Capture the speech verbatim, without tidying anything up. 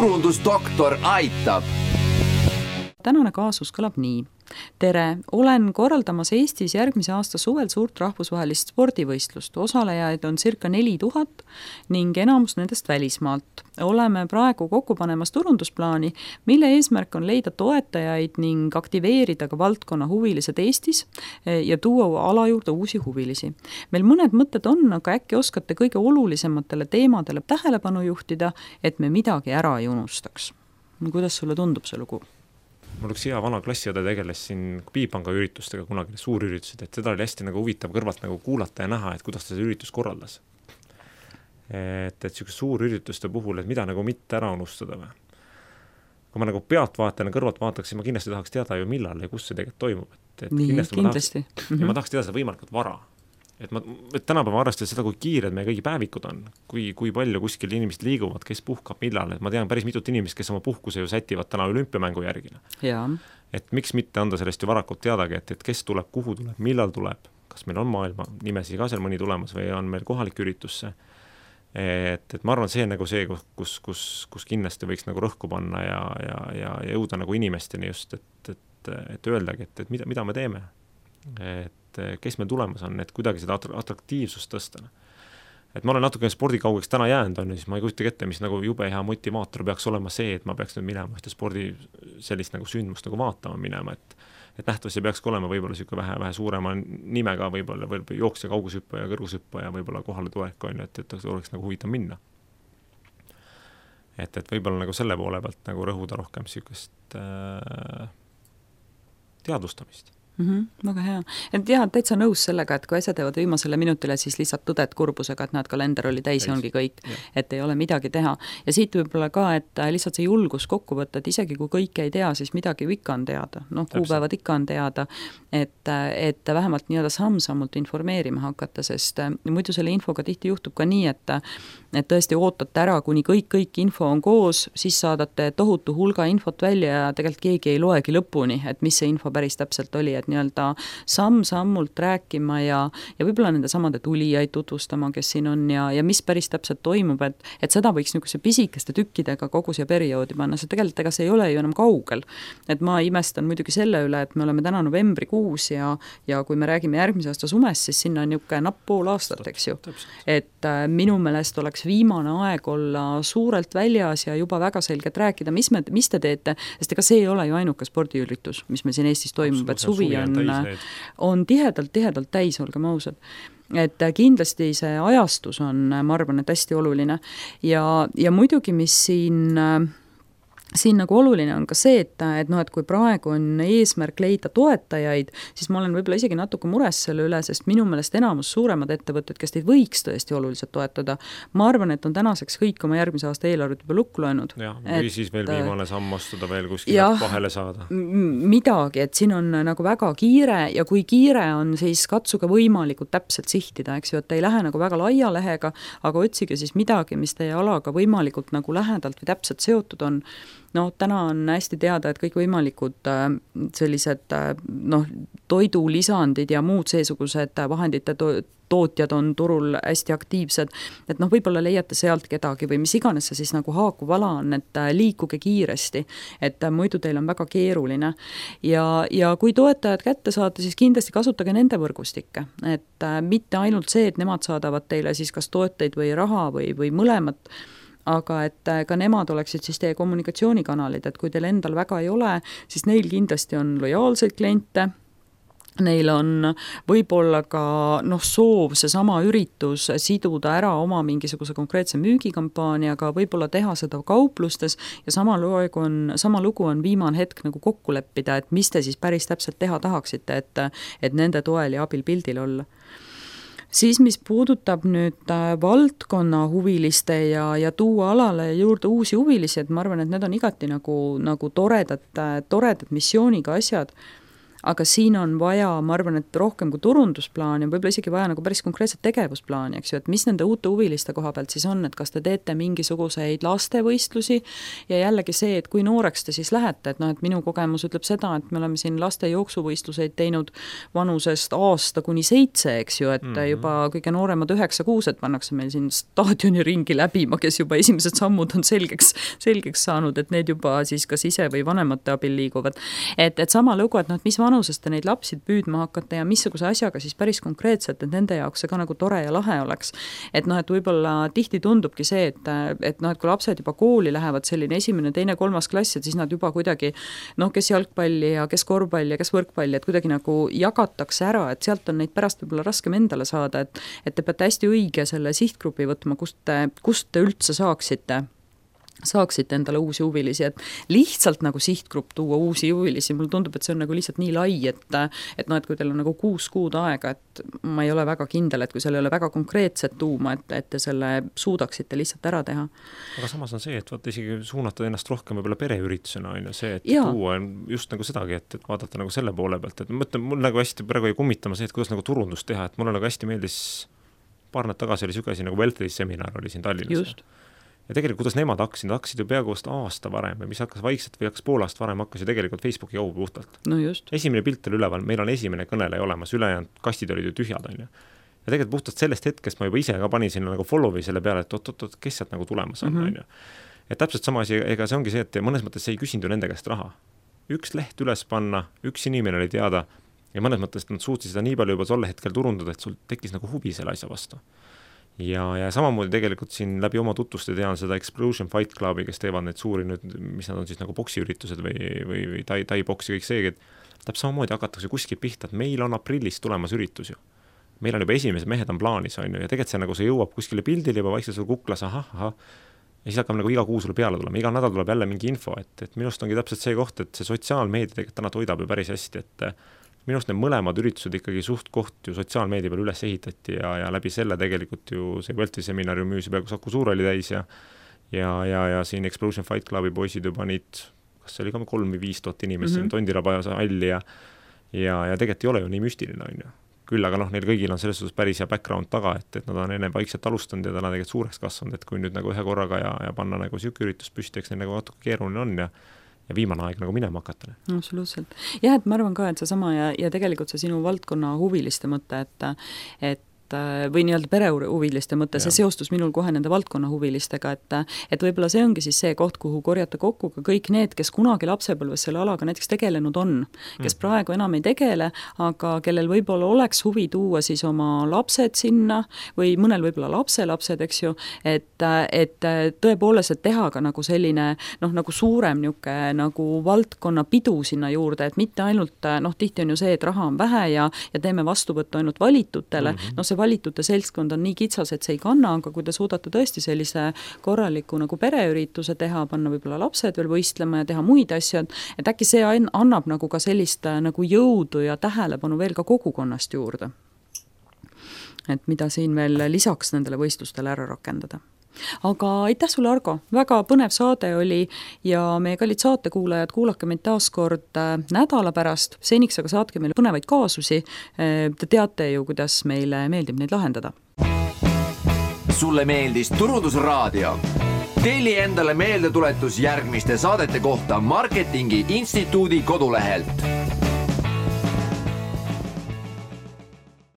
turundusdoktor aitab. Tänane kaasus kõlab nii. Tere, olen korraldamas Eestis järgmise aasta suvel suurt rahvusvahelist spordivõistlust. Osalejaid on circa neli tuhat ning enamus nendest välismaalt. Oleme praegu kokku panemas turundusplaani, mille eesmärk on leida toetajaid ning aktiveerida ka valdkonna huvilised Eestis ja tuua ala juurde uusi huvilisi. Meil mõned mõtted on, aga äkki oskate kõige olulisematele teemadele tähelepanu juhtida, et me midagi ära ei unustaks. Kuidas sulle tundub see lugu? Mul üks hea vana klassiõde tegeles siin Piipanga üritustega kunagi suurüritused, et seda oli hästi nagu huvitav kõrvalt nagu kuulata ja näha, et kuidas ta see üritus korraldas. Et, et selline suur ürituste puhul, et mida nagu mitte ära unustada või. Kui ma nagu pealtvaatajana kõrvalt vaataks, siis ma kindlasti tahaks teada ju millal ja kus see tegelikult toimub. Et, et Nii, kindlasti, kindlasti. Ma tahaks, mm-hmm. ma tahaks teada seda võimalikult vara. Et, ma, et tänapäeva arvestades seda, kui kiired meie kõigi päevikud on, kui, kui palju kuskil inimesed liiguvad, kes puhkab millal, et ma tean päris mitut inimest, kes oma puhkuse ju sätivad täna olümpiamängu järgile. Ja. Et miks mitte anda sellest ju varakult teadagi, et, et kes tuleb, kuhu tuleb, millal tuleb, kas meil on maailma nimesi ka seal mõni tulemas või on meil kohalik üritusse. Et, et ma arvan, see on nagu see, kus, kus, kus kindlasti võiks nagu rõhku panna ja, ja, ja, ja jõuda nagu inimesteni just, et, et, et öeldagi, et, et mida, mida me teeme. Et kes meil tulemas on, et kuidagi seda atraktiivsust tõsta. Et ma olen natuke spordikaugeks täna jäänud, on, siis ma ei kujuta ette, mis nagu jube hea motivaator peaks olema see, et ma peaks nüüd minema ühte spordi sellist nagu sündmust nagu vaatama minema, et, et nähtavasti peaks olema võib-olla siuke vähe, vähe suurema nimega võib-olla või jooksja, kaugusüppa ja kõrgushüppa ja võib-olla kohale tulek on, et, et oleks nagu huvitav minna. Et, et võib-olla nagu selle poole pealt nagu rõhuda rohkem siukest äh, teadvustamist. Mm-hmm, väga hea. Et jah, täitsa nõus sellega, et kui asjad jäävad viimasele minutile, siis lihtsalt tõded kurbusega, et näed, kalender oli täis ja ongi kõik, ja. Et ei ole midagi teha. Ja siit võib-olla ka, et lihtsalt see julgus kokku võtta, et isegi kui kõike ei tea, siis midagi ikka on teada. Noh, kuupäevad ikka on teada, et, et vähemalt nii-öelda samm-sammult informeerima hakata, sest muidu selle infoga tihti juhtub ka nii, et, et tõesti ootate ära, kuni kõik, kõik info on koos, siis saadate tohutu hulga infot välja ja tegelikult keegi ei loegi lõpuni, et mis see info päris täpselt oli, et nii-öelda samm-sammult rääkima ja, ja võib-olla nende samade tulijaid tutvustama, kes siin on ja, ja mis päris täpselt toimub, et, et seda võiks niisuguse pisikeste tükkidega kogu siia perioodi panna, see tegelikult ega see ei ole ju enam kaugel. Et ma imestan muidugi selle üle, et me oleme täna novembrikuus ja, ja kui me räägime järgmise aasta sumest, siis sinna on niisugune napp pool aastat, eks ju. Et äh, minu meelest oleks viimane aeg olla suurelt väljas ja juba väga selgelt rääkida, mis, me, mis te teete, sest ega see ei ole ju ainuke spordiüritus, mis meil siin Eestis toimub, et suvi on on tihedalt, tihedalt täis, olgem ausad. Et kindlasti see ajastus on, ma arvan, et hästi oluline. Ja, ja muidugi, mis siin... Siin nagu oluline on ka see, et, et, no, et kui praegu on eesmärk leida toetajaid, siis ma olen võib-olla isegi natuke mures selle üle, sest minu meelest enamus suuremad ettevõtted, kes teid võiks tõesti oluliselt toetada, ma arvan, et on tänaseks kõik oma järgmise aasta eelarvet juba lukku löönud. Ja, või et, siis veel viimane samm astuda veel kuskil vahele saada. Midagi, et siin on nagu väga kiire ja kui kiire on, siis katsuge võimalikult täpselt sihtida, eks ju, et ei lähe nagu väga laia lehega, aga otsige siis midagi, mis teie alaga võimalikult nagu lähedalt või täpselt seotud on. No, täna on hästi teada, et kõik võimalikud sellised noh, toidulisandid ja muud seesugused vahendite to- tootjad on turul hästi aktiivsed, et noh, võib-olla leiate sealt kedagi või mis iganes see siis nagu haakuv ala on, et liikuge kiiresti, et muidu teil on väga keeruline. Ja, ja kui toetajad kätte saate, siis kindlasti kasutage nende võrgustikke, et mitte ainult see, et nemad saadavad teile siis kas toeteid või raha või, või mõlemat, aga et ka nemad oleksid siis teie kommunikatsioonikanalid, et kui teil endal väga ei ole, siis neil kindlasti on lojaalseid kliente, neil on võib-olla ka noh, soov see sama üritus siduda ära oma mingisuguse konkreetse müügikampaaniaga, võib-olla teha seda kauplustes ja sama lugu on, sama lugu on viimane hetk nagu kokku leppida, et mis te siis päris täpselt teha tahaksite, et, et nende toel ja abil pildil olla. Siis, mis puudutab nüüd valdkonna huviliste ja, ja tuua alale juurde uusi huvilisi, et ma arvan, et need on igati nagu, nagu toredad, toredad missiooniga asjad. aga siin on vaja, ma arvan, et rohkem kui turundusplaan ja võib-olla isegi vaja nagu päris konkreetset tegevusplaani, eks ju, et mis nende uute huviliste koha pealt siis on, et kas te teete mingisuguseid lastevõistlusi ja jällegi see, et kui nooreks te siis lähete, et noh, et minu kogemus ütleb seda, et me oleme siin laste jooksuvõistluseid teinud vanusest aasta kuni seitse, eks ju, et mm-hmm. juba kõige nooremad üheksa kuused pannakse meil siin staadioni ringi läbima, kes juba esimesed sammud on selgeks, selgeks saanud, et need juba siis kas ise või vanemate abil liiguvad. Et, et sama lugu, et noh, et mis vanusest te neid lapsi püüdma hakata ja missuguse asjaga siis päris konkreetselt, et nende jaoks see ka nagu tore ja lahe oleks. Et noh, et võib-olla tihti tundubki see, et, et noh, et kui lapsed juba kooli lähevad selline esimene, teine, kolmas klass, et siis nad juba kuidagi noh, kes jalgpalli ja kes korvpalli ja kes võrkpalli, et kuidagi nagu jagatakse ära, et sealt on neid pärast võib-olla raskem endale saada, et, et te peate hästi õige selle sihtgrupi võtma, kust te, kust te üldse saaksite saaksite endale uusi huvilisi, et lihtsalt nagu sihtgrupp tuua uusi huvilisi, mulle tundub, et see on nagu lihtsalt nii lai, et, et noh, et kui teil on nagu kuus kuud aega, et ma ei ole väga kindel, et kui seal ei ole väga konkreetset tuuma, et, et te selle suudaksite lihtsalt ära teha. Aga samas on see, et vaata isegi suunata ennast rohkem võib-olla pereüritusena, on ju see, et ja. Tuua just nagu sedagi, et, et vaadata nagu selle poole pealt, et ma mõtlen, mul nagu hästi praegu ei kummitama see, et kuidas nagu turundust teha, et mulle nagu hästi meeldis paar näd tagasi oli sügasi nagu Wealthy seminar oli siin Tallinnas. Just. Ja tegelikult, kuidas nemad hakkasid, nad hakkasid ju peaaegu aasta varem või mis hakkas vaikselt või hakkas pool aasta varem, hakkas ju tegelikult Facebooki jõu puhtalt. No just. Esimene pilt oli üleval, meil on esimene kõneleja olemas, ülejäänud kastid olid ju tühjad, on ju. Ja tegelikult puhtalt sellest hetkest ma juba ise ka panin sinna nagu follow'i selle peale, et oot-oot-oot, kes sealt nagu tulemas on, mm-hmm. on ju. Et täpselt sama asi, ega see ongi see, et mõnes mõttes see ei küsinud ju nende käest raha. Üks leht üles panna, üks inimene oli teada ja mõnes mõttes nad suutsid seda nii palju juba tolle hetkel turundada, et sul tekkis nagu huvi selle asja vastu. Ja, ja samamoodi tegelikult siin läbi oma tutvuste tean seda Explosion Fight Clubi, kes teevad neid suuri nüüd, mis nad on siis nagu boksiüritused või, või, või tai, tai boksi kõik see, et täpselt samamoodi hakatakse kuskil pihta, et meil on aprillis tulemas üritus ju. Meil on juba esimesed mehed on plaanis, on ju, ja tegelikult see nagu see jõuab kuskile pildile juba vaikselt sul kuklas, ahah, ahah, ja siis hakkab nagu iga kuu sulle peale tulema, iga nädal tuleb jälle mingi info, et, et minust ongi täpselt see koht, et see sotsiaalmeedia tegelikult täna toidab ju päris hästi, et minust need mõlemad üritused ikkagi suht koht ju sotsiaalmeedia peal üles ehitati ja, ja läbi selle tegelikult ju see Wealthy seminar ju müüsi peaaegu Saku Suur oli täis ja ja, ja, ja siin Explosion Fight Clubi poisid juba neid, kas see oli ka kolm või viis tuhat inimest mm -hmm. Tondirabajase halli ja ja, ja tegelikult ei ole ju nii müstiline, on ju. Küll aga noh, neil kõigil on selles suhtes päris hea background taga, et, et nad on enne vaikselt alustanud ja täna tegelikult suureks kasvanud, et kui nüüd nagu ühe korraga ja, ja panna nagu siuke üritus püsti, eks neil nagu natuke keeruline on ja ja viimane aeg nagu minema hakata. Absoluutselt. Jah, et ma arvan ka, et see sama ja, ja tegelikult see sinu valdkonna huviliste mõte, et, et või nii-öelda perehuviliste mõte, see seostus minul kohe nende valdkonna huvilistega, et, et võib-olla see ongi siis see koht, kuhu korjata kokku ka kõik need, kes kunagi lapsepõlves selle alaga näiteks tegelenud on, kes mm. praegu enam ei tegele, aga kellel võib-olla oleks huvi tuua siis oma lapsed sinna või mõnel võib-olla lapselapsed, eks ju, et, et tõepoolest, et teha ka nagu selline noh, nagu suurem niuke nagu valdkonna pidu sinna juurde, et mitte ainult, noh, tihti on ju see, et raha on vähe ja, ja teeme vastuvõttu ainult valitutele, mm-hmm. no see valitute seltskond on nii kitsas, et see ei kanna, aga kui te suudate tõesti sellise korraliku nagu pereürituse teha, panna võib-olla lapsed veel võistlema ja teha muid asju, et äkki see annab nagu ka sellist nagu jõudu ja tähelepanu veel ka kogukonnast juurde. Et mida siin veel lisaks nendele võistlustele ära rakendada. Aga aitäh sulle, Argo, väga põnev saade oli ja meie kallid saatekuulajad, kuulake meid taas kord nädala pärast, seniks aga saatke meile põnevaid kaasusi, te teate ju, kuidas meile meeldib neid lahendada. Sulle meeldis Turundusraadio? Telli endale meeldetuletus järgmiste saadete kohta Marketingi Instituudi kodulehelt.